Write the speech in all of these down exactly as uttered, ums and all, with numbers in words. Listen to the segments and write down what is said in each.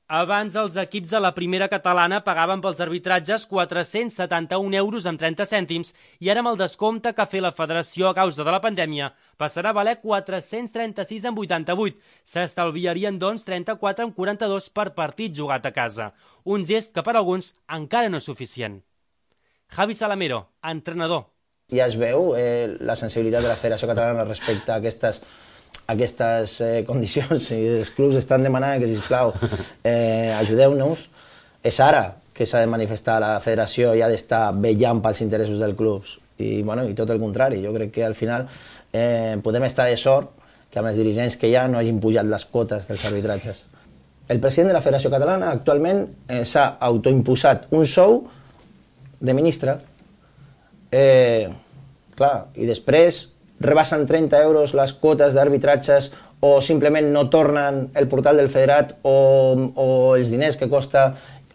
Abans els equips de la primera catalana pagaven pels arbitratges quatre-cents setanta-un euros amb trenta cèntims i ara amb el descompte que ha fet la federació a causa de la pandèmia passarà a valer quatre-cents trenta-sis amb vuitanta-vuit. S'estalviarien, doncs, trenta-quatre amb quaranta-dos per partit jugat a casa. Un gest que per alguns encara no és suficient. Javi Salamero, entrenador. Ja es veu eh, la sensibilitat de la Federació Catalana respecte a aquestes aquestes eh, condicions, i els clubs estan demanant que, sisplau, eh, ajudeu-nos. És ara que s'ha de manifestar la federació i ha d'estar vetllant pels interessos dels clubs. I, bueno, i tot el contrari, jo crec que al final eh, podem estar de sort que amb els dirigents que hi ha no hagin pujat les quotes dels arbitratges. El president de la Federació Catalana actualment eh, s'ha autoimposat un sou de ministre, eh, clar, i després rebassen trenta euros les quotes d'arbitratges o simplement no tornen el portal del federat o, o els diners que costa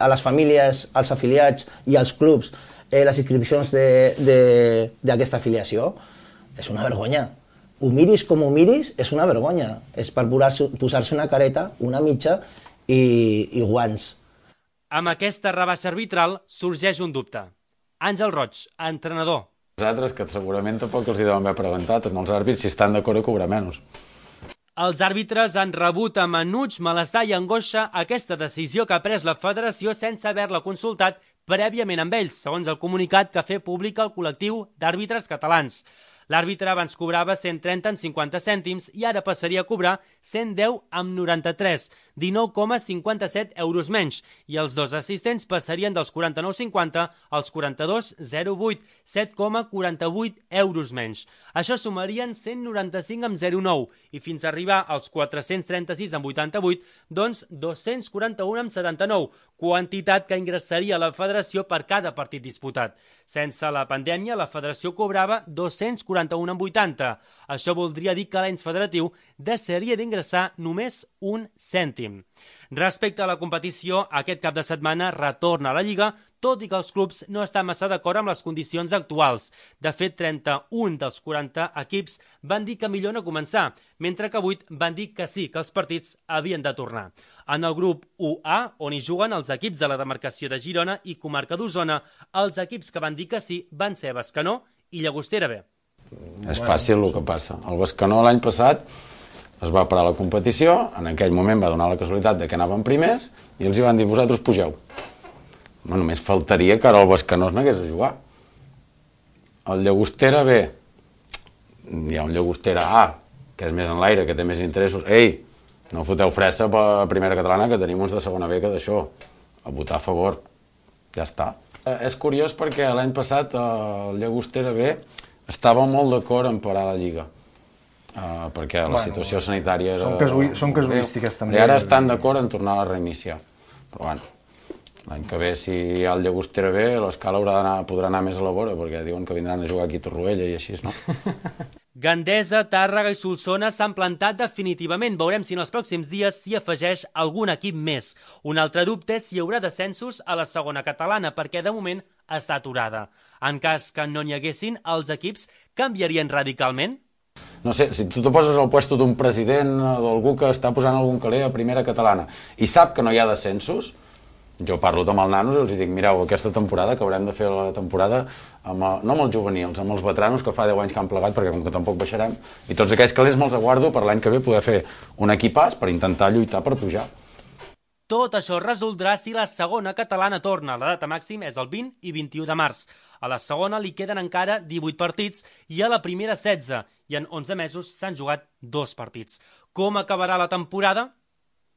a les famílies, als afiliats i als clubs eh, les inscripcions d'aquesta afiliació. És una vergonya. Ho miris com ho miris, és una vergonya. És per posar-se una careta, una mitja i, i guants. Amb aquesta rebaixa arbitral sorgeix un dubte. Àngel Roig, entrenador. Nosaltres, que segurament tampoc els hi deuen haver preguntat, amb els àrbits, si estan d'acord a cobrar menys. Els àrbitres han rebut amb enuig, malestar i angoixa aquesta decisió que ha pres la federació sense haver-la consultat prèviament amb ells, segons el comunicat que ha fet públic el col·lectiu d'àrbitres catalans. L'àrbitre abans cobrava cent trenta amb cinquanta cèntims i ara passaria a cobrar cent deu amb noranta-tres, dinou coma cinquanta-set euros menys, i els dos assistents passarien dels quaranta-nou coma cinquanta als quaranta-dos coma zero vuit, set coma quaranta-vuit euros menys. Això sumarien cent noranta-cinc amb zero nou i fins a arribar als quatre-cents trenta-sis amb vuitanta-vuit, doncs dos-cents quaranta-un amb setanta-nou, quantitat que ingressaria a la federació per cada partit disputat. Sense la pandèmia, la federació cobrava dos-cents quaranta-un amb vuitanta. Això voldria dir que l'any federatiu deixaria d'ingressar només un cèntim. Respecte a la competició, aquest cap de setmana retorna a la Lliga, tot i que els clubs no estan massa d'acord amb les condicions actuals. De fet, trenta-un dels quaranta equips van dir que millor no començar, mentre que vuit van dir que sí, que els partits havien de tornar. En el grup u A, on hi juguen els equips de la demarcació de Girona i comarca d'Osona, els equips que van dir que sí van ser Bescanó i Llagostera B. És fàcil el que passa. El Bescanó l'any passat es va parar la competició, en aquell moment va donar la casualitat de que anaven primers i els hi van dir, vosaltres pugeu. No, només faltaria que ara el Bescanó es n'hagués a jugar. El Llagostera B, hi ha un Llagostera A, que és més en l'aire, que té més interessos. Ei, no foteu fressa per la primera catalana, que tenim uns de segona B que d'això. A votar a favor. Ja està. Eh, és curiós perquè l'any passat el Llagostera B estava molt d'acord en parar la Lliga. Uh, perquè la bueno, situació sanitària era... Són, casu són casuístiques també. I ara estan d'acord en tornar a reiniciar. Però bueno, l'any que ve, si hi ha el Llagostera B, l'escala podrà anar més a la vora, perquè diuen que vindran a jugar aquí a Torroella i així, no? Gandesa, Tàrrega i Solsona s'han plantat definitivament. Veurem si en els pròxims dies s'hi afegeix algun equip més. Un altre dubte és si hi haurà descensos a la segona catalana, perquè de moment està aturada. En cas que no n'hi haguessin, els equips canviarien radicalment? No sé, si tu te poses al puesto d'un president o d'algú que està posant algun caler a primera catalana i sap que no hi ha descensos, jo parlo amb els nanos i els dic, mireu, aquesta temporada, que haurem de fer la temporada, amb el, no amb els juvenils, amb els veteranos que fa deu anys que han plegat, perquè com que tampoc baixarem, i tots aquells calés me'ls aguardo per l'any que ve poder fer un equipàs per intentar lluitar per pujar. Tot això es resoldrà si la segona catalana torna. La data màxima és el vint i vint-i-u de març. A la segona li queden encara divuit partits i a la primera setze, i en onze mesos s'han jugat dos partits. Com acabarà la temporada?